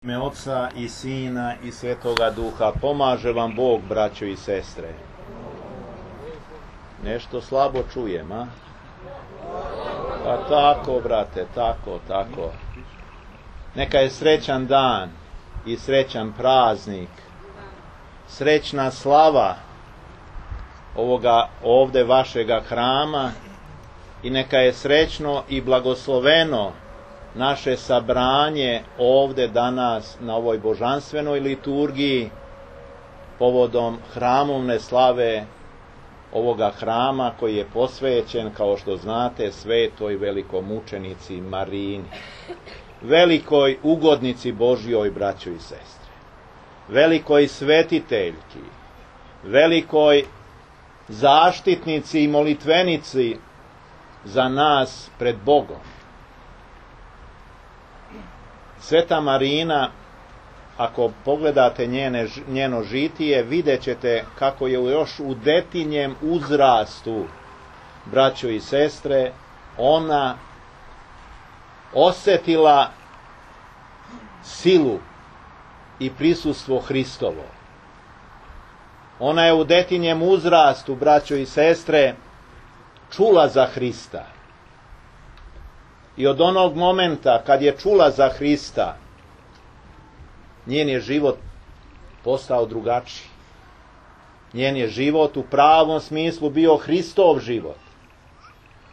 Ime Oca i Sina i Svetoga Duha, pomaže vam Bog, braćo i sestre. Nešto slabo čujem, a? Pa tako, brate, tako. Neka je srećan dan i srećan praznik, srećna slava ovoga ovde vašega hrama i neka je srećno i blagosloveno naše sabranje ovde danas na ovoj božanstvenoj liturgiji povodom hramovne slave ovoga hrama koji je posvećen, kao što znate, svetoj velikomučenici Marini, velikoj ugodnici Božjoj, braćo i sestre, velikoj svetiteljki, velikoj zaštitnici i molitvenici za nas pred Bogom. Sveta Marina, ako pogledate njeno žitije, vidjet ćete kako je još u detinjem uzrastu, braćo i sestre, ona osjetila silu i prisustvo Hristovo. Ona je u detinjem uzrastu, braćo i sestre, čula za Hrista. I od onog momenta kad je čula za Hrista, njen je život postao drugačiji. Njen je život u pravom smislu bio Hristov život.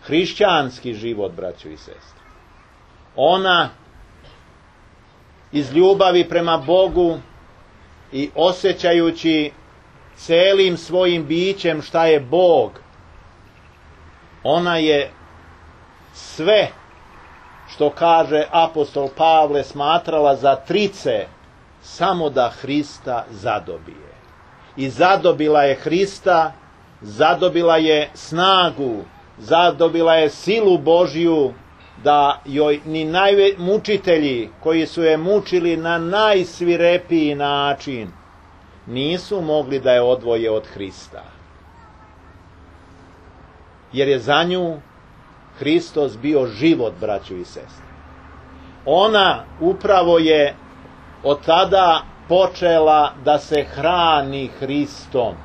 Hrišćanski život, braćo i sestre. Ona iz ljubavi prema Bogu i osjećajući celim svojim bićem šta je Bog, ona je sve što kaže apostol Pavle smatrala za trice samo da Hrista zadobije. I zadobila je Hrista, zadobila je snagu, zadobila je silu Božju da joj ni mučitelji koji su je mučili na najsvirepiji način nisu mogli da je odvoje od Hrista. Jer je za nju Hristos bio život, braćo i sestre. Ona upravo je od tada počela da se hrani Hristom.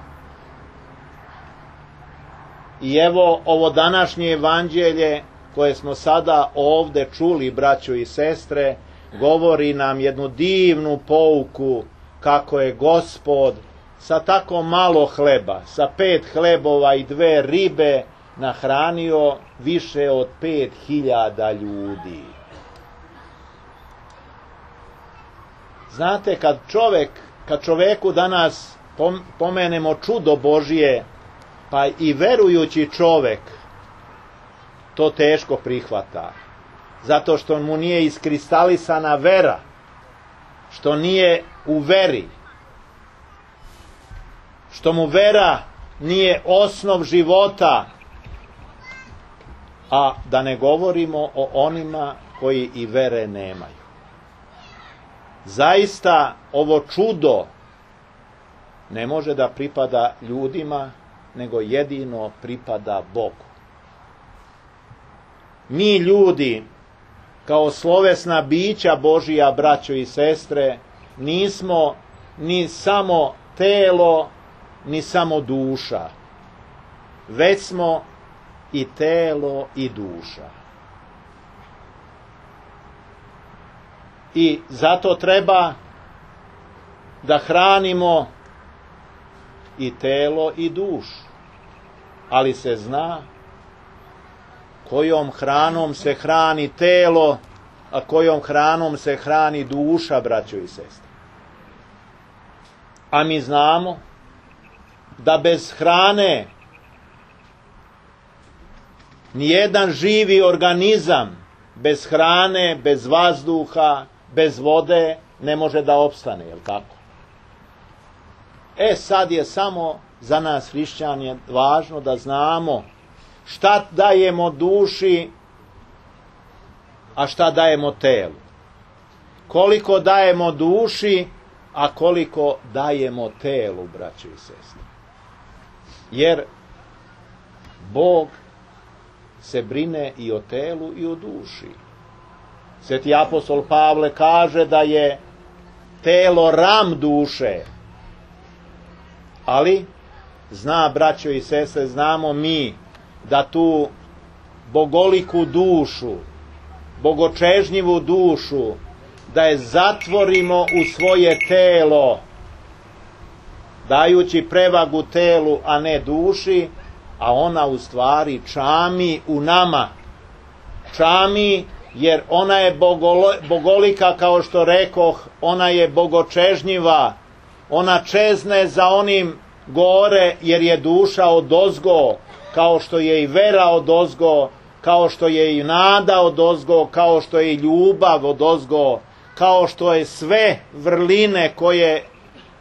I evo ovo današnje evanđelje koje smo sada ovde čuli, braćo i sestre, govori nam jednu divnu pouku kako je Gospod sa tako malo hleba, sa 5 hlebova i 2 ribe, nahranio više od 5.000 ljudi. Znate, kad čoveku danas pomenemo čudo Božije, pa i verujući čovek to teško prihvata, zato što mu nije iskristalisana vera, što nije u veri, što mu vera nije osnov života, a da ne govorimo o onima koji i vere nemaju. Zaista ovo čudo ne može da pripada ljudima, nego jedino pripada Bogu. Mi ljudi, kao slovesna bića Božija, braćo i sestre, nismo ni samo telo, ni samo duša, već smo i telo i duša. I zato treba da hranimo i telo i dušu. Ali se zna kojom hranom se hrani telo, a kojom hranom se hrani duša, braćo i sestre. A mi znamo da bez hrane nijedan živi organizam bez hrane, bez vazduha, bez vode ne može da opstane, jel tako? Sad je samo za nas hrišćane važno da znamo šta dajemo duši, a šta dajemo telu. Koliko dajemo duši, a koliko dajemo telu, braćo i sestre. Jer Bog se brine i o telu i o duši. Sveti apostol Pavle kaže da je telo ram duše. Ali, zna, braćo i sestre, znamo mi da tu bogoliku dušu, bogočežnjivu dušu, da je zatvorimo u svoje telo, dajući prevagu telu, a ne duši, a ona u stvari čami u nama. Čami jer ona je bogolika, kao što rekoh, ona je bogočežnjiva, ona čezne za onim gore, jer je duša odozgo, kao što je i vera odozgo, kao što je i nada odozgo, kao što je i ljubav odozgo, kao što je sve vrline koje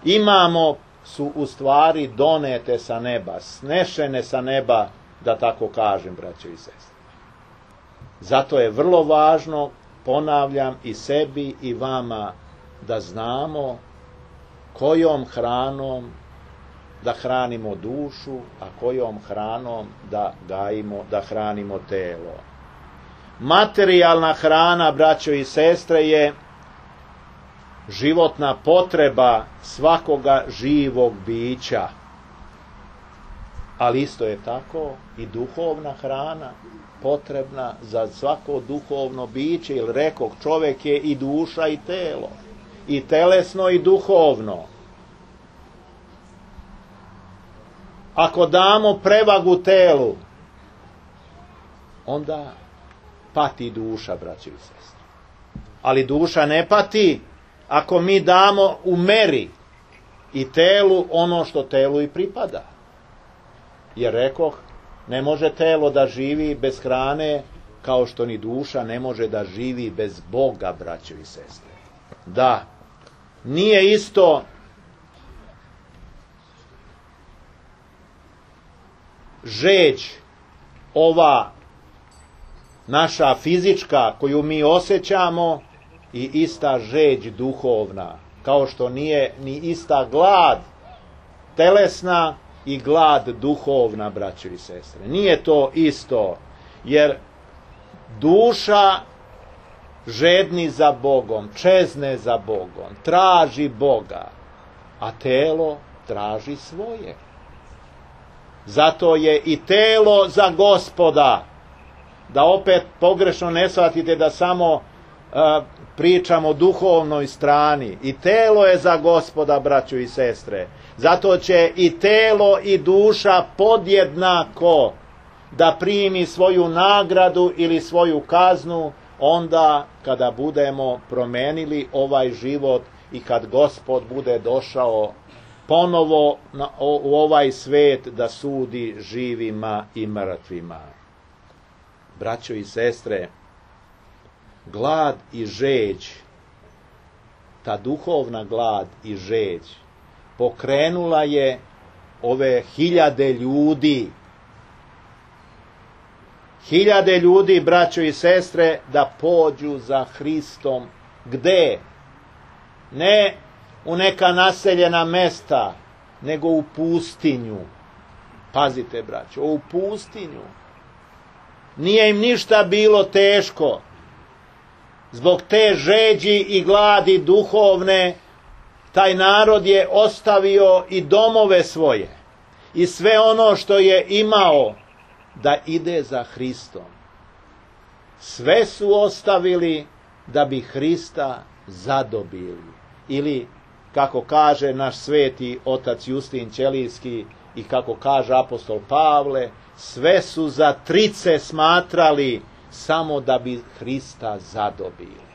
imamo su u stvari donete sa neba, snešene sa neba, da tako kažem, braćo i sestre. Zato je vrlo važno, ponavljam, i sebi i vama, da znamo kojom hranom da hranimo dušu, a kojom hranom da gajimo, da hranimo telo. Materijalna hrana, braćo i sestre, je životna potreba svakoga živog bića. Ali isto je tako i duhovna hrana potrebna za svako duhovno biće, jer rekoh, čovjek je i duša i telo, i telesno i duhovno. Ako damo prevagu telu, onda pati duša, braćo i sestre. Ali duša ne pati ako mi damo u meri i telu ono što telu i pripada. Jer rekoh, ne može telo da živi bez hrane, kao što ni duša ne može da živi bez Boga, braćo i sestre. Da, nije isto žeđ ova naša fizička koju mi osjećamo i ista žeđ duhovna, kao što nije ni ista glad telesna i glad duhovna, braćo i sestre. Nije to isto, jer duša žedni za Bogom, čezne za Bogom, traži Boga, a telo traži svoje. Zato je i telo za Gospoda, da opet pogrešno ne shvatite da samo pričamo o duhovnoj strani. I telo je za Gospoda, braćo i sestre. Zato će i telo i duša podjednako da primi svoju nagradu ili svoju kaznu onda kada budemo promenili ovaj život i kad Gospod bude došao ponovo u ovaj svet da sudi živima i mrtvima. Braćo i sestre, glad i žeđ, ta duhovna glad i žeđ, pokrenula je ove hiljade ljudi. Hiljade ljudi, braćo i sestre, da pođu za Hristom. Gde? Ne u neka naseljena mesta, nego u pustinju. Pazite, braćo, u pustinju. Nije im ništa bilo teško. Zbog te žeđi i gladi duhovne, taj narod je ostavio i domove svoje i sve ono što je imao da ide za Hristom. Sve su ostavili da bi Hrista zadobili. Ili, kako kaže naš sveti otac Justin Ćelijski i kako kaže apostol Pavle, sve su za trice smatrali samo da bi Hrista zadobili.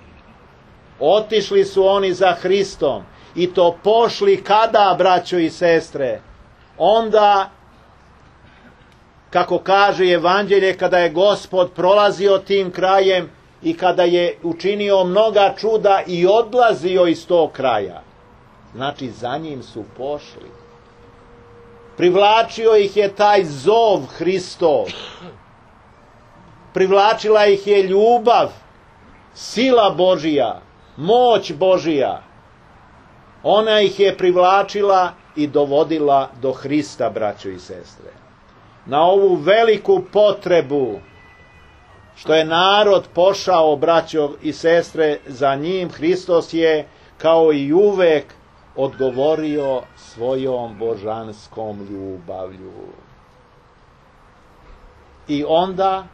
Otišli su oni za Hristom i to pošli kada, braćo i sestre? Onda, kako kaže Evanđelje, kada je Gospod prolazio tim krajem i kada je učinio mnoga čuda i odlazio iz tog kraja. Znači, za njim su pošli. Privlačio ih je taj zov Hristov. Privlačila ih je ljubav, sila Božija, moć Božija. Ona ih je privlačila i dovodila do Hrista, braćo i sestre. Na ovu veliku potrebu što je narod pošao, braćo i sestre, za njim, Hristos je kao i uvek, odgovorio svojom božanskom ljubavlju. I onda,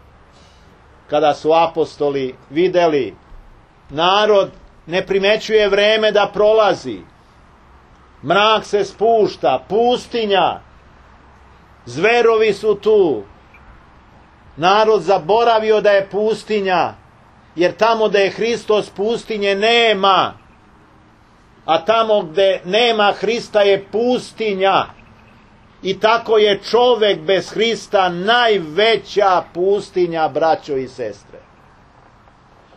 kada su apostoli vidjeli, narod ne primećuje vreme da prolazi, mrak se spušta, pustinja, zverovi su tu, narod zaboravio da je pustinja, jer tamo da je Hristos pustinje nema, a tamo gde nema Hrista je pustinja. I tako je čovek bez Hrista najveća pustinja, braćo i sestre.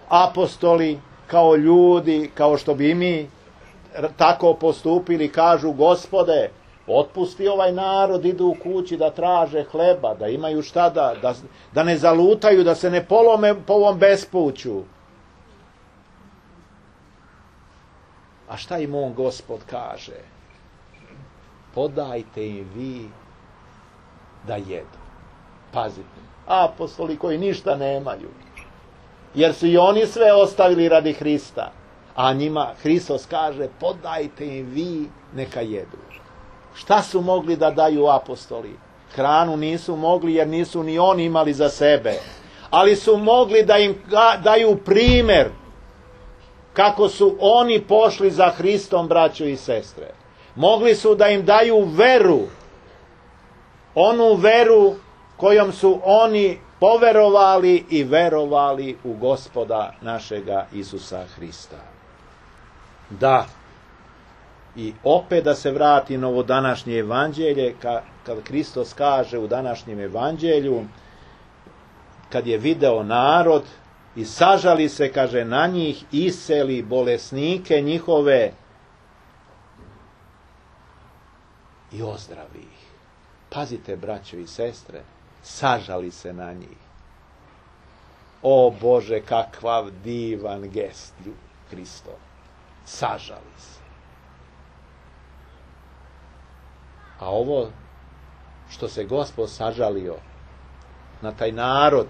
Apostoli, kao ljudi, kao što bi mi tako postupili, kažu: Gospode, otpusti ovaj narod, idu u kući da traže hleba, da imaju šta da ne zalutaju, da se ne polome po ovom bespuću. A šta im on, Gospod, kaže? Podajte im vi da jedu. Pazite, apostoli koji ništa nemaju, jer su i oni sve ostavili radi Hrista, a njima Hristos kaže: podajte im vi, neka jedu. Šta su mogli da daju apostoli? Hranu nisu mogli, jer nisu ni oni imali za sebe, ali su mogli da im daju primer kako su oni pošli za Hristom, braćo i sestre. Mogli su da im daju veru, onu veru kojom su oni poverovali i verovali u Gospoda našega Isusa Hrista. Da, i opet da se vrati na ovo današnje evanđelje, kad Hristos kaže u današnjem evanđelju, kad je video narod i sažali se, kaže, na njih, iseli bolesnike njihove i ozdravi ih. Pazite, braćo i sestre, sažali se na njih. O Bože, kakav divan gest Hristov. Sažali se. A ovo što se Gospod sažalio na taj narod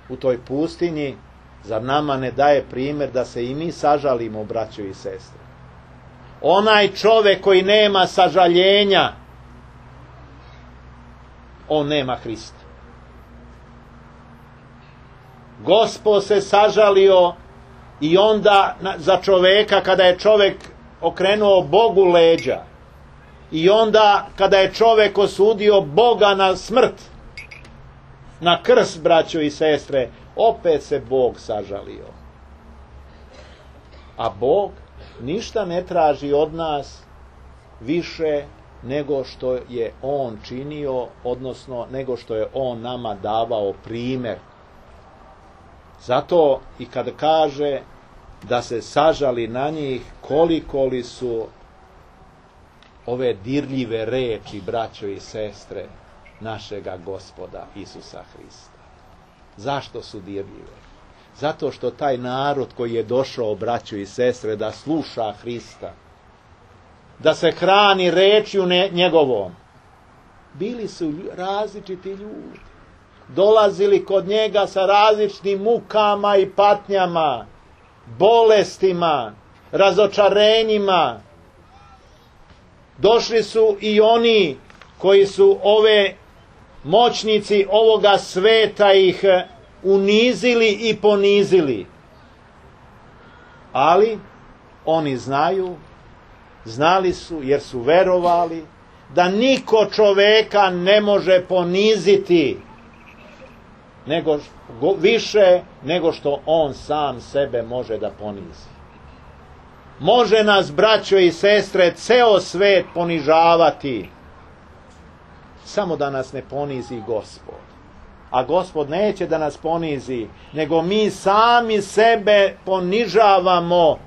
u toj pustinji, zar nama ne daje primjer da se i mi sažalimo, braćo i sestre? Onaj čovek koji nema sažaljenja, on nema Hrista. Gospod se sažalio i onda za čoveka, kada je čovek okrenuo Bogu leđa, i onda kada je čovek osudio Boga na smrt, na krst, braćo i sestre, opet se Bog sažalio. A Bog ništa ne traži od nas više nego što je On činio, odnosno nego što je On nama davao primjer. Zato i kad kaže da se sažali na njih, koliko li su ove dirljive reči, braćo i sestre, našega Gospoda Isusa Hrista. Zašto su dirljive? Zato što taj narod koji je došao, braćo i sestre, da sluša Hrista, da se hrani rečju njegovom, bili su različiti ljudi. Dolazili kod njega sa različitim mukama i patnjama, bolestima, razočarenjima. Došli su i oni koji su ove moćnici ovoga sveta ih unizili i ponizili. Ali oni znali su, jer su verovali, da niko čoveka ne može poniziti više nego što on sam sebe može da ponizi. Može nas, braćo i sestre, ceo svet ponižavati, samo da nas ne ponizi Gospod. A Gospod neće da nas ponizi, nego mi sami sebe ponižavamo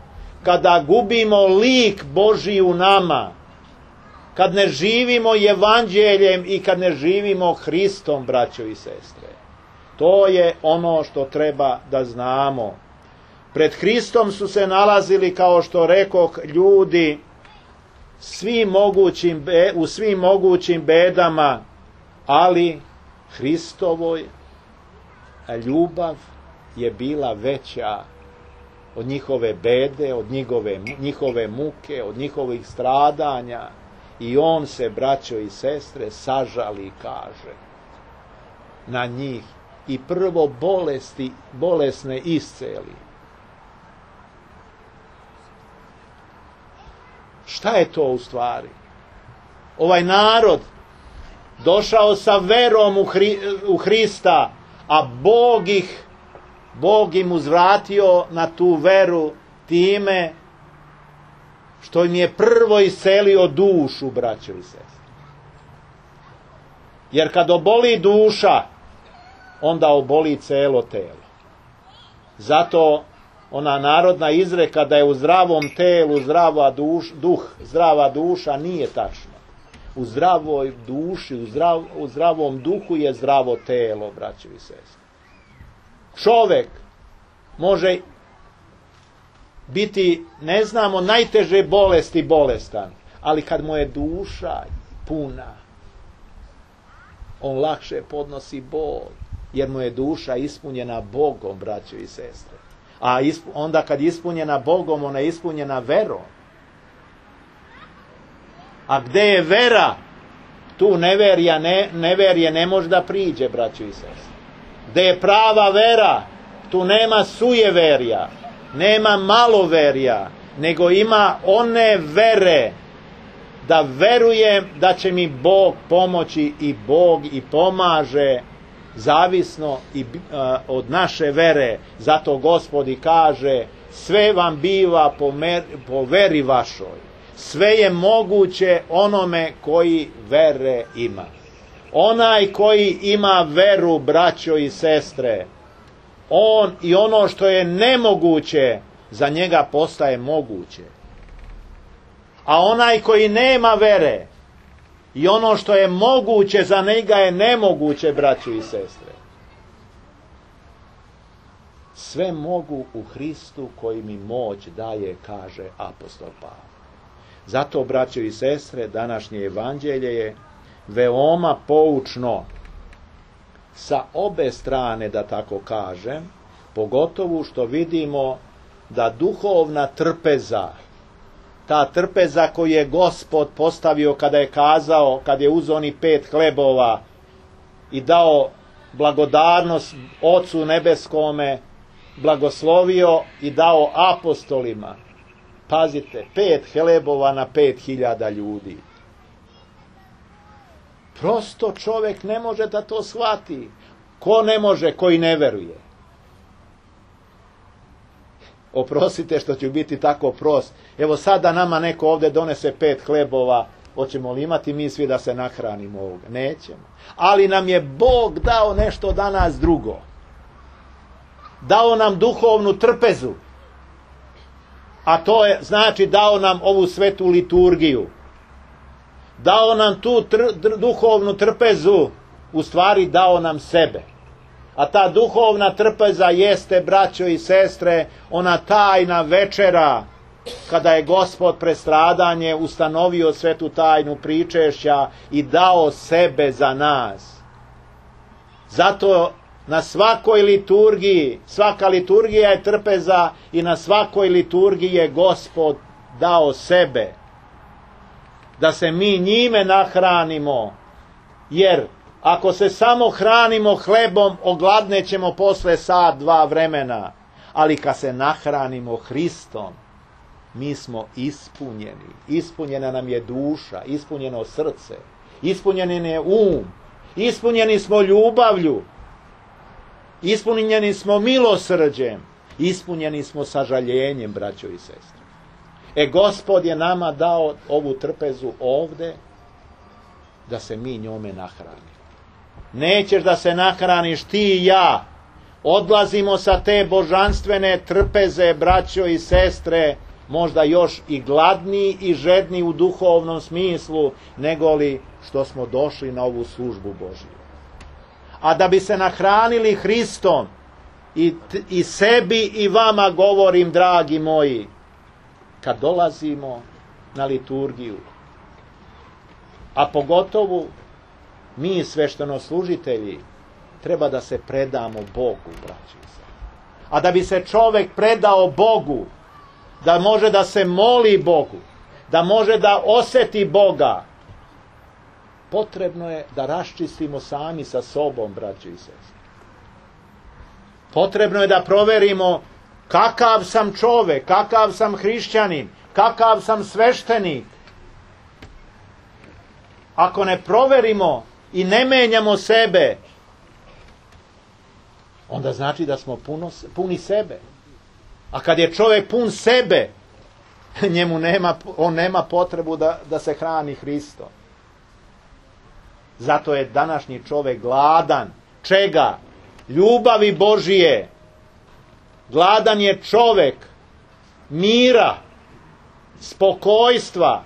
kada gubimo lik Božji u nama, kad ne živimo evanđeljem i kad ne živimo Hristom, braćo i sestre. To je ono što treba da znamo. Pred Hristom su se nalazili, kao što rekoh, ljudi u svim mogućim bedama, ali Hristovoj ljubav je bila veća od njihove bede, od njihove muke, od njihovih stradanja. I on se, braćo i sestre, sažali, kaže, na njih i prvo bolesne isceli. Šta je to u stvari? Ovaj narod došao sa verom u Hrista, a Bog im uzvratio na tu veru time što im je prvo iscelio dušu, braćo i sestre. Jer kad oboli duša, onda oboli celo telo. Zato ona narodna izreka da je u zdravom telu zdrava duša nije tačna. U zdravoj duši, u zdravom duhu je zdravo telo, braćo i sestre. Čovek može biti, ne znamo, najteže bolesti bolestan, ali kad mu je duša puna, on lakše podnosi bol, jer mu je duša ispunjena Bogom, braćo i sestre. A onda kad je ispunjena Bogom, ona je ispunjena verom. A gde je vera, tu neverje ne može da priđe, braćo i sestre. Gde je prava vera, tu nema sujeverja, nema maloverja, nego ima one vere, da verujem da će mi Bog pomoći, i Bog i pomaže, zavisno od naše vere. Zato Gospod i kaže, sve vam biva po veri vašoj. Sve je moguće onome koji vere ima. Onaj koji ima veru, braćo i sestre, on i ono što je nemoguće, za njega postaje moguće. A onaj koji nema vere, i ono što je moguće, za njega je nemoguće, braćo i sestre. Sve mogu u Hristu koji mi moć daje, kaže apostol Pavle. Zato, braćo i sestre, današnje evanđelje je veoma poučno sa obe strane, da tako kažem, pogotovo što vidimo da duhovna trpeza, ta trpeza koju je Gospod postavio kada je kazao, kad je uzeo onih 5 hlebova i dao blagodarnost Ocu nebeskome, blagoslovio i dao apostolima. Pazite, 5 hlebova na 5.000 ljudi. Prosto čovjek ne može da to shvati. Ko ne može? Koji ne veruje. Oprostite što ću biti tako prost. Evo sada nama neko ovdje donese 5 hlebova, hoćemo li imati mi svi da se nahranimo ovoga? Nećemo. Ali nam je Bog dao nešto danas drugo. Dao nam duhovnu trpezu. A to je, znači, dao nam ovu svetu liturgiju. Dao nam tu duhovnu trpezu, u stvari dao nam sebe. A ta duhovna trpeza jeste, braćo i sestre, ona tajna večera, kada je Gospod pred stradanje ustanovio svetu tajnu pričešća i dao sebe za nas. Zato na svakoj liturgiji, svaka liturgija je trpeza, i na svakoj liturgiji je Gospod dao sebe, da se mi njime nahranimo, jer ako se samo hranimo hlebom, ogladnećemo posle sat, 2 vremena, ali kad se nahranimo Hristom, mi smo ispunjeni. Ispunjena nam je duša, ispunjeno srce, ispunjen je ispunjeni smo ljubavlju, ispunjeni smo milosrđem, ispunjeni smo sažaljenjem, braćo i sestre. Gospod je nama dao ovu trpezu ovde, da se mi njome nahranimo. Nećeš da se nahraniš ti i ja. Odlazimo sa te božanstvene trpeze, braćo i sestre, možda još i gladniji i žedni u duhovnom smislu, nego li što smo došli na ovu službu Božju. A da bi se nahranili Hristom, i sebi i vama govorim, dragi moji, kad dolazimo na liturgiju, a pogotovo mi sveštenoslužitelji, treba da se predamo Bogu, braći i sestre. A da bi se čovjek predao Bogu, da može da se moli Bogu, da može da osjeti Boga, potrebno je da raščistimo sami sa sobom, braćo i sestre. Potrebno je da proverimo kakav sam čovjek, kakav sam hrišćanin, kakav sam sveštenik. Ako ne proverimo i ne menjamo sebe, onda znači da smo puni sebe. A kad je čovjek pun sebe, on nema potrebu da se hrani Hristom. Zato je današnji čovjek gladan. Čega? Ljubavi Božije. Gladan je čovjek mira, spokojstva,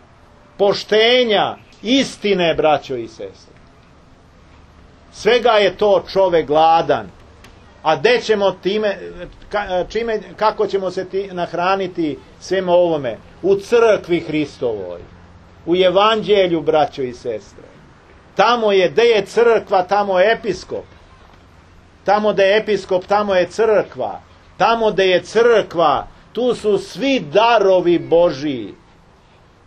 poštenja, istine, braćo i sestre. Svega je to čovjek gladan. A gde ćemo kako ćemo se nahraniti svema ovome? U crkvi Hristovoj, u evanđelju, braćo i sestre. Tamo je, gde je crkva, tamo je episkop. Tamo gde je episkop, tamo je crkva. Tamo gde je crkva, tu su svi darovi Božiji.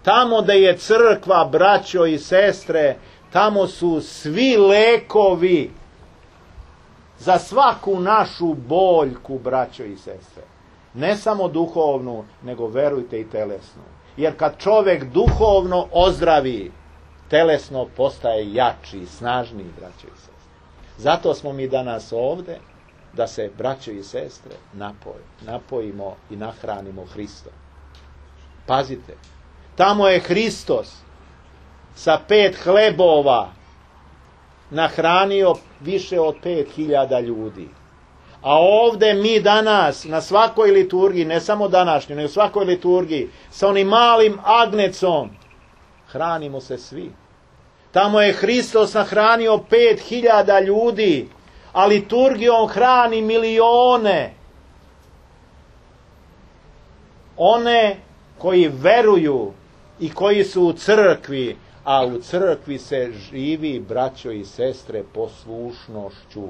Tamo gde je crkva, braćo i sestre, tamo su svi lekovi za svaku našu boljku, braćo i sestre. Ne samo duhovnu, nego verujte i telesnu. Jer kad čovjek duhovno ozdravi, telesno postaje jači, snažniji, braćo i sestre. Zato smo mi danas ovde, da se, braćo i sestre, napojimo i nahranimo Hristom. Pazite, tamo je Hristos sa 5 hlebova nahranio više od 5.000 ljudi. A ovde mi danas, na svakoj liturgiji, ne samo današnjoj, nego svakoj liturgiji, sa onim malim agnecom, hranimo se svi. Tamo je Hristos nahranio 5.000 ljudi, a liturgijom hrani milione. One koji veruju i koji su u crkvi, a u crkvi se živi, braćo i sestre, poslušnošću.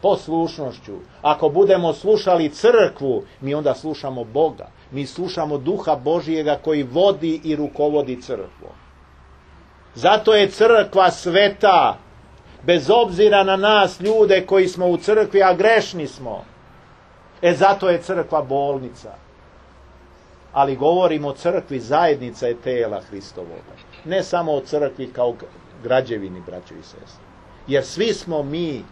Poslušnošću. Ako budemo slušali crkvu, mi onda slušamo Boga. Mi slušamo Duha Božijega koji vodi i rukovodi crkvom. Zato je crkva sveta, bez obzira na nas ljude koji smo u crkvi, a grešni smo. Zato je crkva bolnica. Ali govorimo o crkvi, zajednica je tela Hristovoga. Ne samo o crkvi kao građevini, braćo i sestre. Jer svi smo mi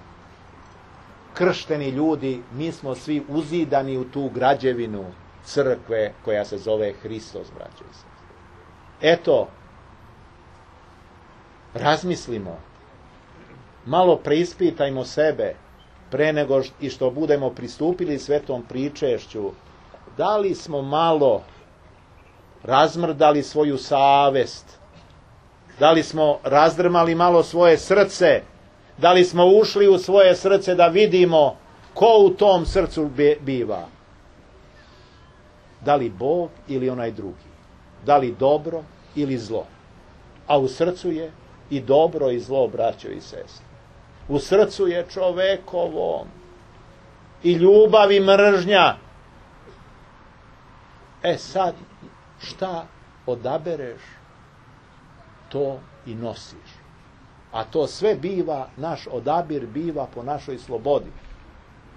kršteni ljudi, mi smo svi uzidani u tu građevinu crkve koja se zove Hristos, braćo i sestre. Eto, razmislimo, malo preispitajmo sebe pre nego i što budemo pristupili svetom pričešću. Da li smo malo razmrdali svoju savest? Da li smo razdrmali malo svoje srce? Da li smo ušli u svoje srce da vidimo ko u tom srcu biva? Da li Bog ili onaj drugi? Da li dobro ili zlo? A u srcu je i dobro i zlo, braćo i sestre. U srcu je čovekovom i ljubav i mržnja. Sad, šta odabereš, to i nosiš. A to sve biva, naš odabir biva po našoj slobodi.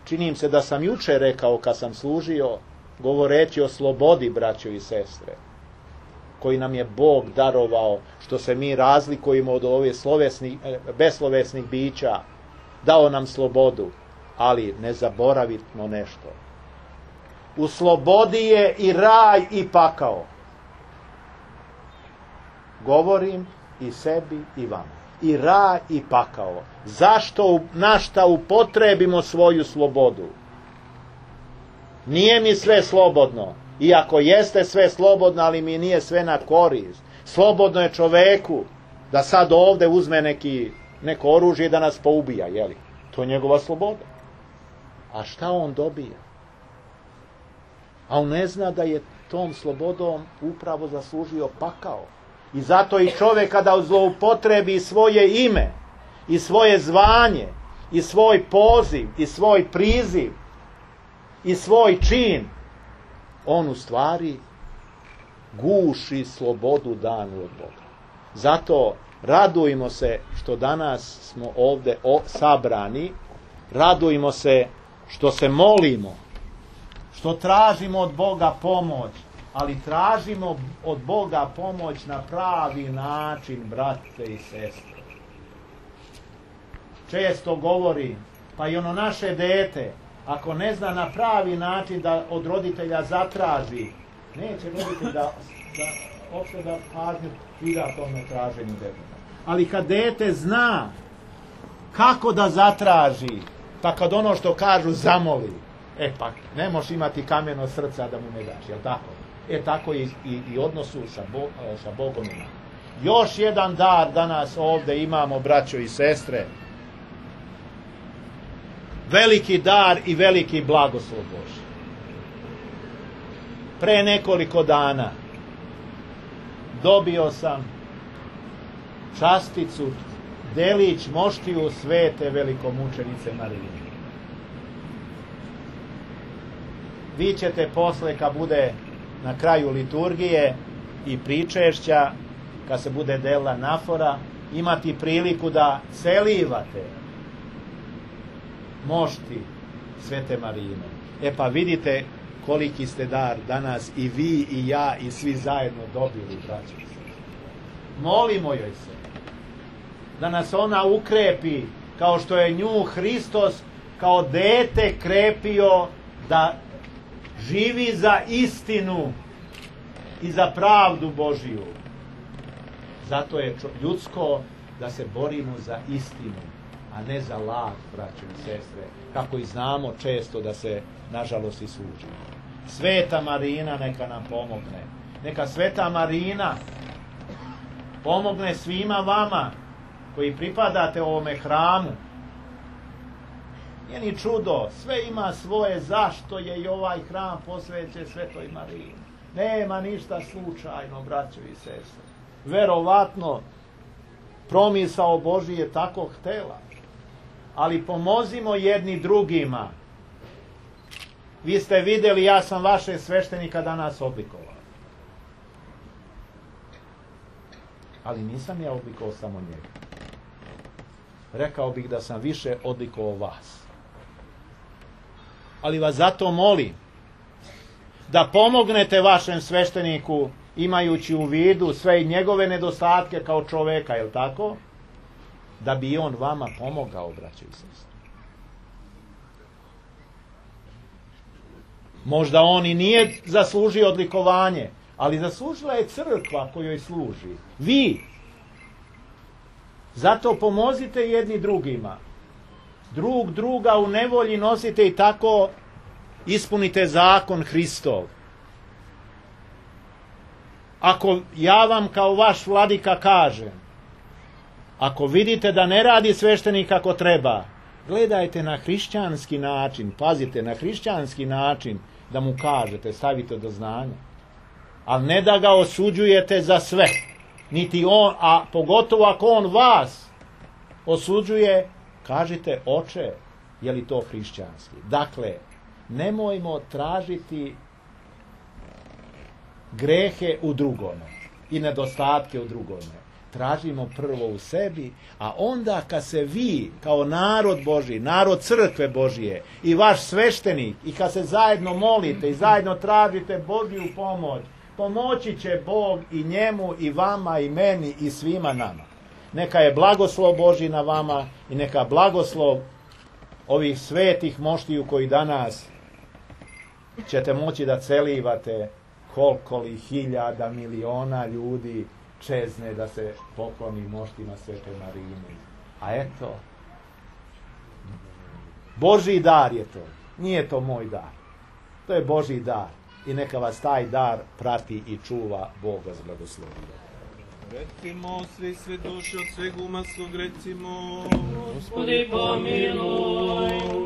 Čini im se da sam juče rekao kad sam služio, govoreći o slobodi, braćo i sestre, koji nam je Bog darovao, što se mi razlikujemo od ovih beslovesnih bića, dao nam slobodu, ali ne zaboravimo nešto. U slobodi je i raj i pakao. Govorim i sebi i vama. I raj i pakao. Zašto, na šta upotrebimo svoju slobodu? Nije mi sve slobodno. Iako jeste sve slobodno, ali mi nije sve na korist. Slobodno je čoveku da sad ovde uzme neko oružje da nas poubija, jeli? To je njegova sloboda. A šta on dobija? A on ne zna da je tom slobodom upravo zaslužio pakao. I zato i čovjek kada zloupotrebi svoje ime i svoje zvanje i svoj poziv, i svoj priziv, i svoj čin, on u stvari guši slobodu danu od Boga. Zato radujmo se što danas smo ovdje sabrani, radujmo se što se molimo, što tražimo od Boga pomoć, ali tražimo od Boga pomoć na pravi način, brate i sestre. Često govori, pa i ono naše dete, ako ne zna na pravi način da od roditelja zatraži, neće roditelj da pažnju prida tome traženju deteta. Ali kad dete zna kako da zatraži, pa kad ono što kažu zamoli, pa ne možeš imati kameno srca da mu ne daš, jel tako? Tako i odnosu sa Bogom ima. Još jedan dar danas ovdje imamo, braćo i sestre. Veliki dar i veliki blagoslov Božji. Pre nekoliko dana dobio sam časticu, delić moštiju svete velikomučenice Marije. Vi ćete posle, kad bude na kraju liturgije i pričešća, kad se bude delila nafora, imati priliku da celivate mošti svete Marine. Pa vidite koliki ste dar danas i vi i ja i svi zajedno dobili, braćo i sestre. Molimo joj se da nas ona ukrepi, kao što je nju Hristos kao dete krepio da živi za istinu i za pravdu Božiju. Zato je ljudsko da se borimo za istinu, a ne za laž, braćo i sestre, kako i znamo često da se nažalost i služi. Sveta Marina neka nam pomogne. Neka Sveta Marina pomogne svima vama koji pripadate ovome hramu. Nije ni čudo, sve ima svoje zašto je i ovaj hram posvećen Svetoj Marini. Nema ništa slučajno, braćo i sestre. Verovatno promisao Božji je tako htela. Ali pomozimo jedni drugima. Vi ste vidjeli, ja sam vaše sveštenika danas oblikovao. Ali nisam ja oblikovao samo njega. Rekao bih da sam više odlikovao vas. Ali vas zato molim da pomognete vašem svešteniku, imajući u vidu sve i njegove nedostatke kao čoveka, je li tako? Da bi on vama pomogao, braćo i sestre. Možda on i nije zaslužio odlikovanje, ali zaslužila je crkva kojoj služi. Vi. Zato pomozite jedni drugima. Druga u nevolji nosite i tako ispunite zakon Hristov. Ako ja vam kao vaš vladika kažem, ako vidite da ne radi sveštenik kako treba, gledajte na hrišćanski način, pazite, na hrišćanski način da mu kažete, stavite do znanja. Ali ne da ga osuđujete za sve. Niti on, a pogotovo ako on vas osuđuje, kažite, oče, je li to hrišćanski? Dakle, nemojmo tražiti grehe u drugome i nedostatke u drugome. Tražimo prvo u sebi, a onda kad se vi kao narod Božji, narod crkve Božije i vaš sveštenik, i kad se zajedno molite i zajedno tražite Božju pomoć, pomoći će Bog i njemu i vama i meni i svima nama. Neka je blagoslov Božji na vama i neka blagoslov ovih svetih moštiju koji danas ćete moći da celivate, koliko li hiljada, miliona ljudi čezne da se pokloni moštima Svete Marine. A eto, Božji dar je to. Nije to moj dar. To je Božji dar. I neka vas taj dar prati i čuva Bog vas blagoslovi. Recimo, svi svedoši od sveg uma svog, recimo, Gospodi pomiluj.